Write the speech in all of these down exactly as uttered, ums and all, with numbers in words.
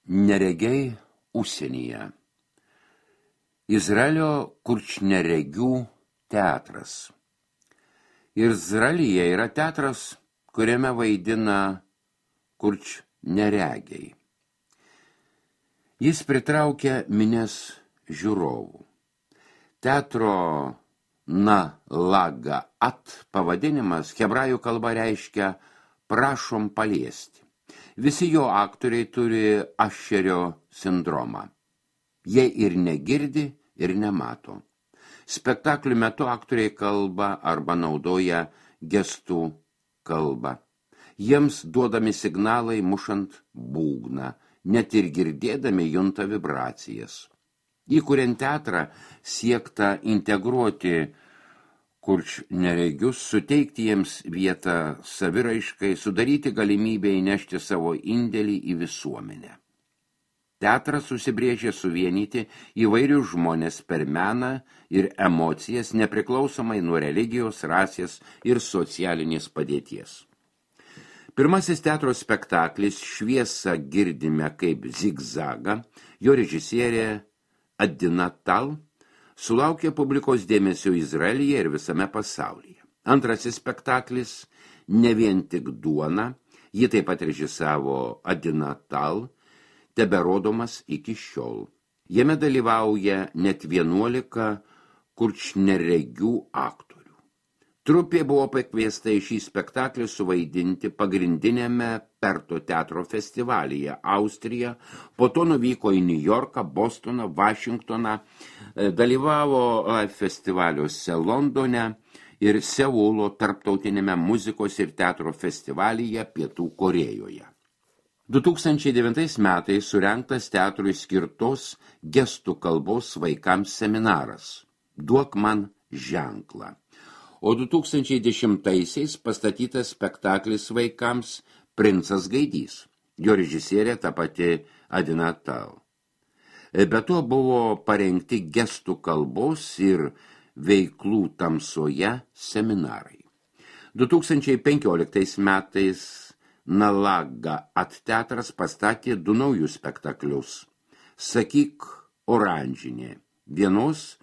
Neregiai užsienyje. Izraelio kurčneregių teatras. Izraelyje yra teatras, kuriame vaidina kurčneregiai. Jis pritraukia minias žiūrovų. Teatro Nalaga at pavadinimas hebrajų kalba reiškia prašom paliesti. Visi jo aktoriai turi Ašerio sindromą. Jie ir negirdi, ir nemato. Spektaklių metu aktoriai kalba arba naudoja gestų kalbą. Jiems duodami signalai mušant būgną, net ir girdėdami junta vibracijas. Įkuriant teatrą siekta integruoti kurčneregius, suteikti jiems vietą saviraiškai, sudaryti galimybę įnešti savo indėlį į visuomenę. Teatras susibrėžė suvienyti įvairius žmonės per meną ir emocijas, nepriklausomai nuo religijos, rasės ir socialinės padėties. Pirmasis teatro spektaklis Šviesą girdime kaip zigzagą, jo režisierė Adina Tal, sulaukė publikos dėmesio Izraelyje ir visame pasaulyje. Antrasis spektaklis Ne vien tik duona, jį taip pat režisavo Adina Tal, teberodomas iki šiol. Jame dalyvauja net vienuolika kurčneregių aktorių. Trupė buvo pakviesta į šį spektaklį suvaidinti pagrindinėme Perto teatro festivalyje Austrija, po to nuvyko į Niujorką, Bostoną, Vašingtoną, dalyvavo festivaliuose Londone ir Seulo tarptautinėme muzikos ir teatro festivalyje Pietų Korėjoje. du tūkstančiai devintais metais surengtas teatrui skirtos gestų kalbos vaikams seminaras Duok man ženklą. O du tūkstančiai dešimtaisiais pastatytas spektaklis vaikams Princas Gaidys. Jo režisierė ta pati Adina Tal. Be to buvo parengti gestų kalbos ir veiklų tamsoje seminarai. du tūkstančiai penkioliktais metais Nalaga at teatras pastatė du naujus spektaklius. Sakyk oranžinė, vienos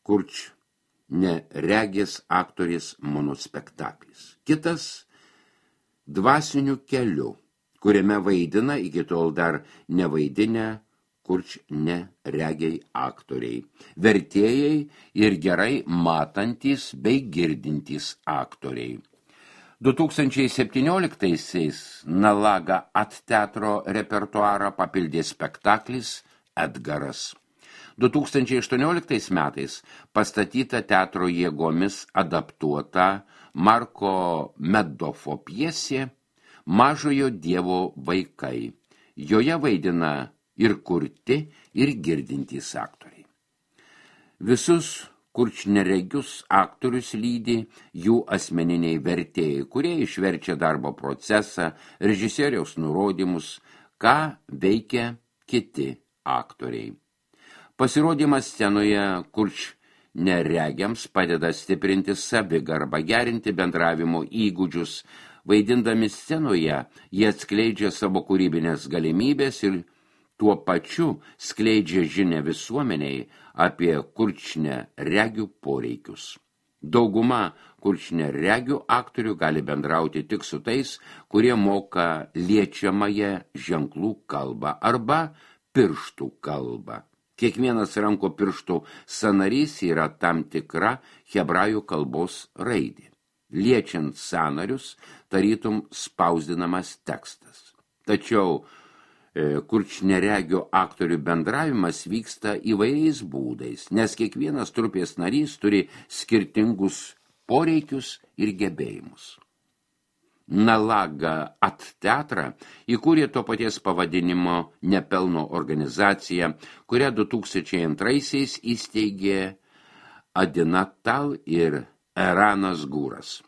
kurč neregės aktorės monospektaklis. Kitas Dvasiniu keliu, kuriame vaidina iki tol dar nevaidinę kurč neregiai aktoriai, vertėjai ir gerai matantys bei girdintys aktoriai. du tūkstančiai septynioliktaisiais Nalaga at teatro repertuarą papildė spektaklis Edgaras. du tūkstančiai aštuonioliktais metais pastatyta teatro jėgomis adaptuota Marko Medofo pjesė Mažojo dievo vaikai. Joje vaidina ir kurti, ir girdintys aktoriai. Visus kurčneregius aktorius lydi jų asmeniniai vertėjai, kurie išverčia darbo procesą, režisieriaus nurodymus, ką veikia kiti aktoriai. Pasirodymas scenoje kurčneregiams padeda stiprinti savigarbą, gerinti bendravimo įgūdžius. Vaidindami scenoje, jie atskleidžia savo kūrybinės galimybės ir tuo pačiu skleidžia žinią visuomeniai apie kurčneregių poreikius. Dauguma kurčneregių aktorių gali bendrauti tik su tais, kurie moka liečiamąją ženklų kalbą arba pirštų kalbą. Kiekvienas ranko pirštų sąnarys yra tam tikra hebrajų kalbos raidė. Liečiant sąnarius, tarytum spausdinamas tekstas. Tačiau e, kurčneregių aktorių bendravimas vyksta įvairiais būdais, nes kiekvienas trupės narys turi skirtingus poreikius ir gebėjimus. Nalaga at teatrą įkūrė to paties pavadinimo nepelno organizacija, kurią du tūkstančiai antraisiais įsteigė Adina Tal ir Eranas Gūras.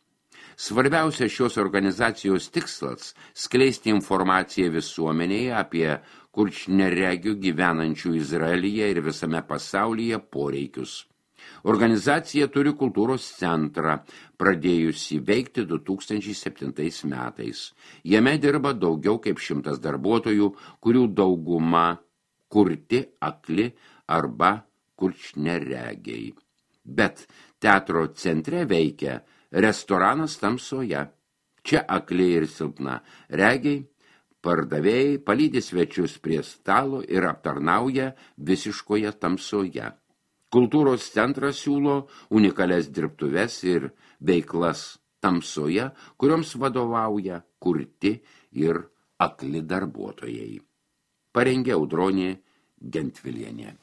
Svarbiausia šios organizacijos tikslas – skleisti informaciją visuomenėje apie kurčneregių gyvenančių Izraelyje ir visame pasaulyje poreikius. Organizacija turi kultūros centrą, pradėjusi veikti du tūkstančiai septintais metais. Jame dirba daugiau kaip šimtas darbuotojų, kurių dauguma kurti, akli arba kurčneregiai. Bet teatro centre veikia restoranas tamsoje. Čia akli ir silpna regiai, pardavėjai palydi svečius prie stalo ir aptarnauja visiškoje tamsoje. Kultūros centras siūlo unikalias dirbtuves ir veiklas tamsoje, kurioms vadovauja kurti ir akli darbuotojai. Parengė Audronė Gentvilienė.